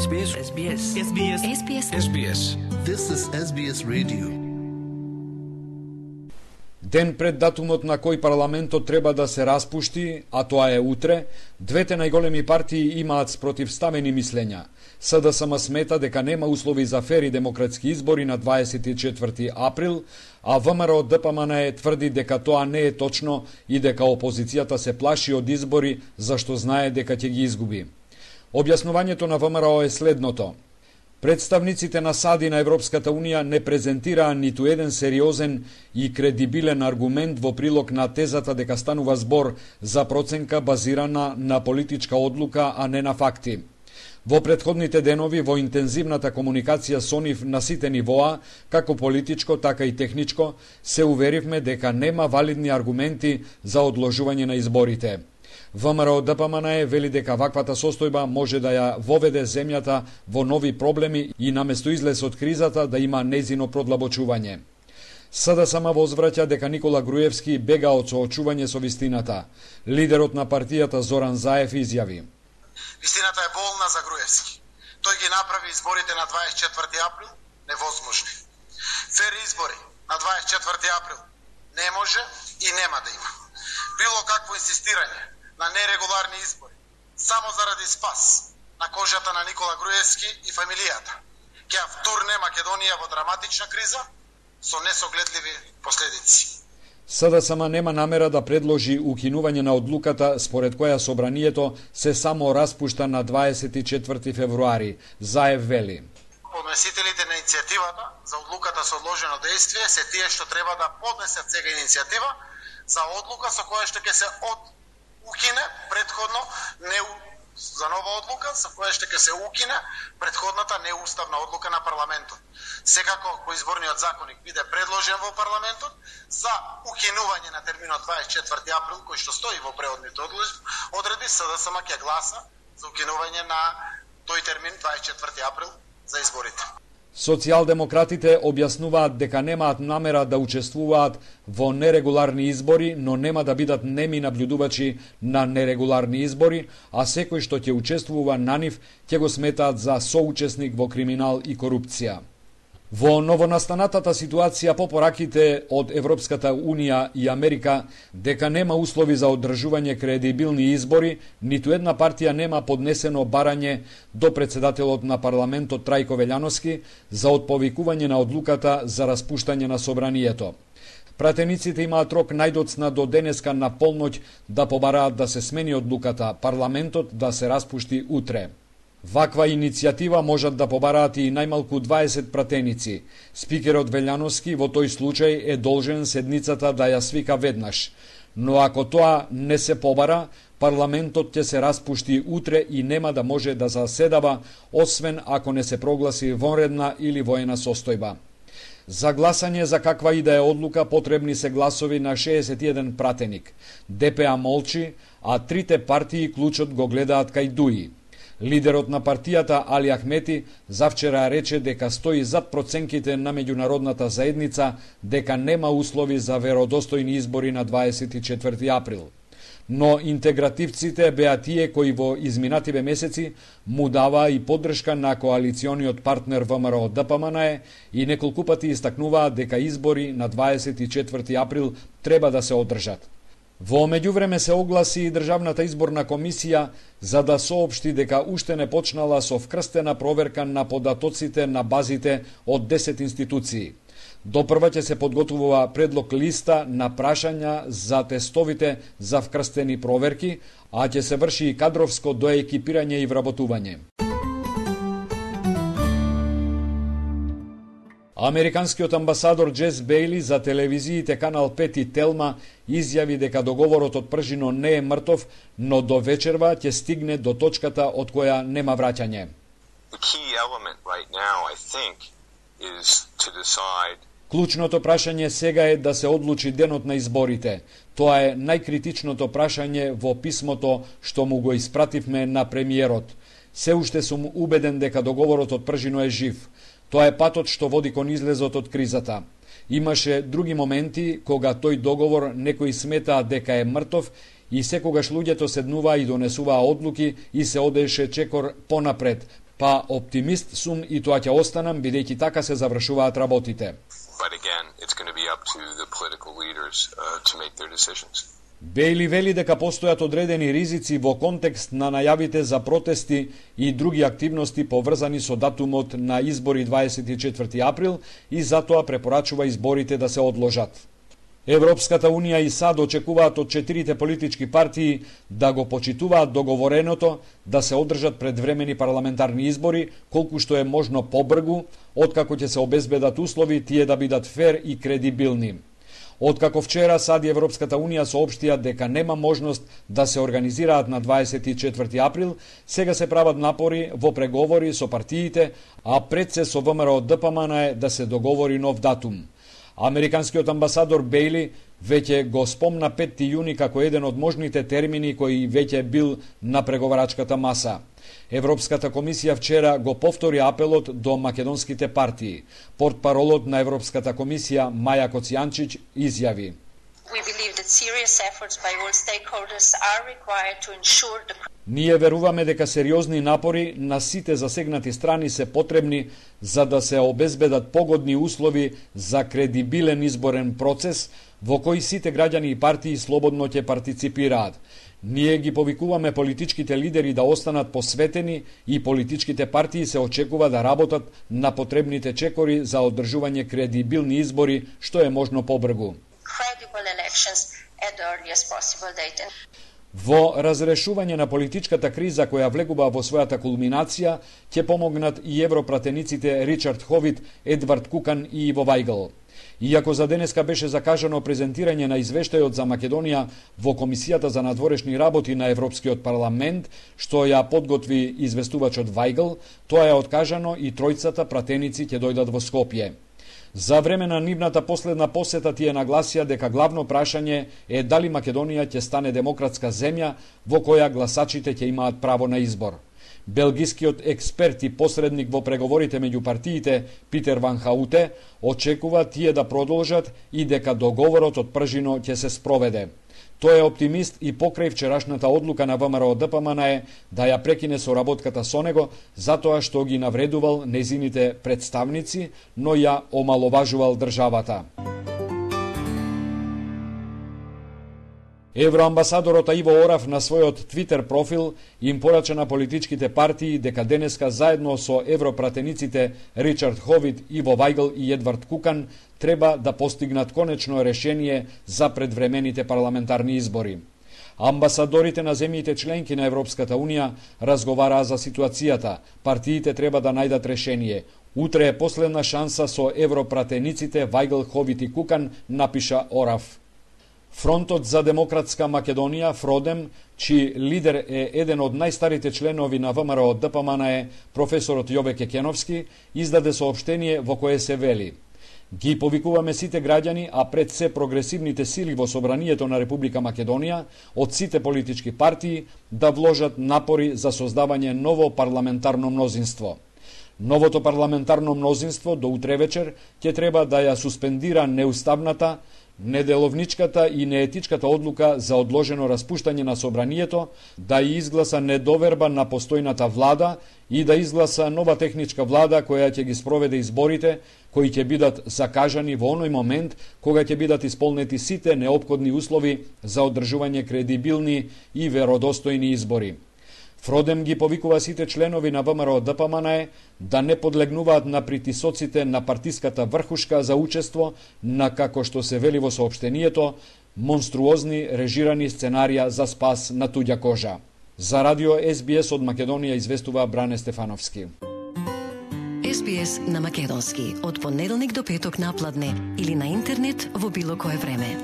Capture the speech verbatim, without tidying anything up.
S B S S B S S B S S B S S B S This is S B S Radio. Ден пред датумот на кој парламентот треба да се распушти, а тоа е утре, двете најголеми партии имаат спротивставени мислења. С Д С М смета дека нема услови за фер и демократски избори на дваесет и четврти април, а В М Р Д П М Н тврди дека тоа не е точно и дека опозицијата се плаши од избори зашто знае дека ќе ги изгуби. Објаснувањето на В М Р О е следното. Представниците на САД и на Европската Унија не презентираа ниту еден сериозен и кредибилен аргумент во прилог на тезата дека станува збор за проценка базирана на политичка одлука, а не на факти. Во претходните денови, во интензивната комуникација со нив на сите нивоа, како политичко, така и техничко, се уверивме дека нема валидни аргументи за одложување на изборите. В М Р О Д П М Н вели дека ваквата состојба може да ја воведе земјата во нови проблеми и наместо излез од кризата да има нејзино продлабочување. С Д С М возвраќа дека Никола Груевски бега од соочување со вистината. Лидерот на партијата Зоран Заев изјави: Вистината е болна за Груевски. Тој ги направи изборите на дваесет и четврти април невозможни. Фер избори на дваесет и четврти април не може и нема да има. Било какво инсистирање на нерегуларни избори само заради спас на кожата на Никола Груевски и фамилијата ќе втурне Македонија во драматична криза со несогледливи последици. С Д С М нема намера да предложи укинување на одлуката според која собранието се само распушта на дваесет и четврти февруари. Заев вели: Поднесителите на иницијативата за одлуката со одложено дејствие се тие што треба да поднесат сега иницијатива за одлука со која што ќе се од укине предходно не за нова одлука со која што ќе се укине предходната неуставна одлука на парламентот. Секако по изборниот законник биде предложен во парламентот за укинување на терминот дваесет и четврти април кој што стои во преодните одредби, С Д С М ќе гласа за укинување на тој термин дваесет и четврти април за изборите. Социјалдемократите објаснуваат дека немаат намера да учествуваат во нерегуларни избори, но нема да бидат неми наблюдувачи на нерегуларни избори, а секој што ќе учествува на нив ќе го сметаат за соучесник во криминал и корупција. Во новонастанатата ситуација по пораките од Европската Унија и Америка дека нема услови за одржување кредибилни избори, ниту една партија нема поднесено барање до председателот на парламентот Трајко Велјановски за отповикување на одлуката за распуштање на собранието. Пратениците имаат рок најдоцна до денеска на полноќ да побараат да се смени одлуката, парламентот да се распушти утре. Ваква иницијатива можат да побараат и најмалку дваесет пратеници. Спикерот Велјановски во тој случај е должен седницата да ја свика веднаш. Но ако тоа не се побара, парламентот ќе се распушти утре и нема да може да заседава, освен ако не се прогласи вонредна или воена состојба. За гласање за каква и да е одлука потребни се гласови на шеесет и еден пратеник. Д П А молчи, а трите партии клучот го гледаат кај Дуи. Лидерот на партијата Али Ахмети завчера рече дека стои зад проценките на меѓународната заедница дека нема услови за веродостојни избори на дваесет и четврти април. Но интегративците беа тие кои во изминативе месеци му даваа и поддршка на коалициониот партнер В М Р О Д П М Н и неколку пати истакнуваат дека избори на дваесет и четврти април треба да се одржат. Во меѓувреме се огласи и Државната изборна комисија за да соопшти дека уште не почнала со вкрстена проверка на податоците на базите од десет институции. Допрва ќе се подготвува предлог листа на прашања за тестовите за вкрстени проверки, а ќе се врши и кадровско доекипирање и вработување. Американскиот амбасадор Джес Бејли за телевизиите Канал пет и Телма изјави дека договорот од Пржино не е мртов, но до вечерва ќе стигне до точката од која нема враќање. Клучното прашање сега е да се одлучи денот на изборите. Тоа е најкритичното прашање во писмото што му го испративме на премиерот. Се уште сум убеден дека договорот од Пржино е жив. Тоа е патот што води кон излезот од кризата. Имаше други моменти кога тој договор некои сметаа дека е мртов и секогаш луѓето седнуваа и донесуваа одлуки и се одеше чекор понапред, Па оптимист сум и тоа ќе останам, бидејќи така се завршуваат работите. But again, it's going to be up to the political leaders uh, to make their decisions. Бейли вели дека постојат одредени ризици во контекст на најавите за протести и други активности поврзани со датумот на избори дваесет и четврти април и затоа препорачува изборите да се одложат. Европската Унија и САД очекуваат од четирите политички партии да го почитуваат договореното да се одржат предвремени парламентарни избори колку што е можно побргу, откако ќе се обезбедат услови тие да бидат фер и кредибилни. Откако вчера САД и Европската Унија соопштија дека нема можност да се организираат на дваесет и четврти април, сега се прават напори во преговори со партиите, а пред се со ВМРО Д П М Н е да се договори нов датум. Американскиот амбасадор Бейли веќе го спомна петти јуни како еден од можните термини кои веќе бил на преговарачката маса. Европската комисија вчера го повтори апелот до македонските партии. Портпаролот на Европската комисија Маја Коцијанчиќ изјави: We believe that serious efforts by all stakeholders are required to ensure the Ние веруваме дека сериозни напори на сите засегнати страни се потребни за да се обезбедат погодни услови за кредибилен изборен процес во кој сите граѓани и партии слободно ќе партиципираат. Ние ги повикуваме политичките лидери да останат посветени и политичките партии се очекува да работат на потребните чекори за одржување кредибилни избори што е можно побргу. credible elections at the earliest possible date. Во разрешување на политичката криза која влегува во својата кулминација ќе помогнат и европратениците Ричард Ховит, Едвард Кукан и Иво Вајгл. Иако за денеска беше закажано презентирање на извештајот за Македонија во Комисијата за надворешни работи на Европскиот парламент, што ја подготви известувачот Вајгл, тоа е откажано и тројцата пратеници ќе дојдат во Скопје. За време на нивната последна посета тие нагласија дека главно прашање е дали Македонија ќе стане демократска земја во која гласачите ќе имаат право на избор. Белгискиот експерт и посредник во преговорите меѓу партиите Питер Ван Хауте очекува тие да продолжат и дека договорот од пржино ќе се спроведе. Тој е оптимист и покрај вчерашната одлука на ВМРО Д П М Н е да ја прекине соработката со него затоа што ги навредувал незините представници, но ја омаловажувал државата. Евроамбасадорот Иво Орав на својот Твитер профил им порача на политичките партии дека денеска заедно со европратениците Ричард Ховит, Иво Вајгл и Едвард Кукан треба да постигнат конечно решение за предвремените парламентарни избори. Амбасадорите на земјите членки на Европската Унија разговараа за ситуацијата. Партиите треба да најдат решение. Утре е последна шанса со европратениците Вајгл, Ховит и Кукан, напиша Орав. Фронтот за демократска Македонија, Фродем, чиј лидер е еден од најстарите членови на ВМРО Д П М Н е, професорот Јове Кекеновски, издаде соопштение во кое се вели: Ги повикуваме сите граѓани, а пред се прогресивните сили во собранието на Република Македонија, од сите политички партии, да вложат напори за создавање ново парламентарно мнозинство. Новото парламентарно мнозинство до утре вечер ќе треба да ја суспендира неуставната, неделовничката и неетичката одлука за одложено распуштање на собранието, да ја изгласа недоверба на постојната влада и да изгласа нова техничка влада која ќе ги спроведе изборите, кои ќе бидат закажани во оној момент кога ќе бидат исполнети сите неопходни услови за одржување кредибилни и веродостојни избори. Фродем ги повикува сите членови на ВМРО Д П М Н е да не подлегнуваат на притисоците на партиската врхушка за учество на, како што се вели во соопштението, монструозни режирани сценарија за спас на туѓа кожа. За радио С Б С од Македонија известува Бране Стефановски. С Б С на македонски од понеделник до петок на пладне или на интернет во било кое време.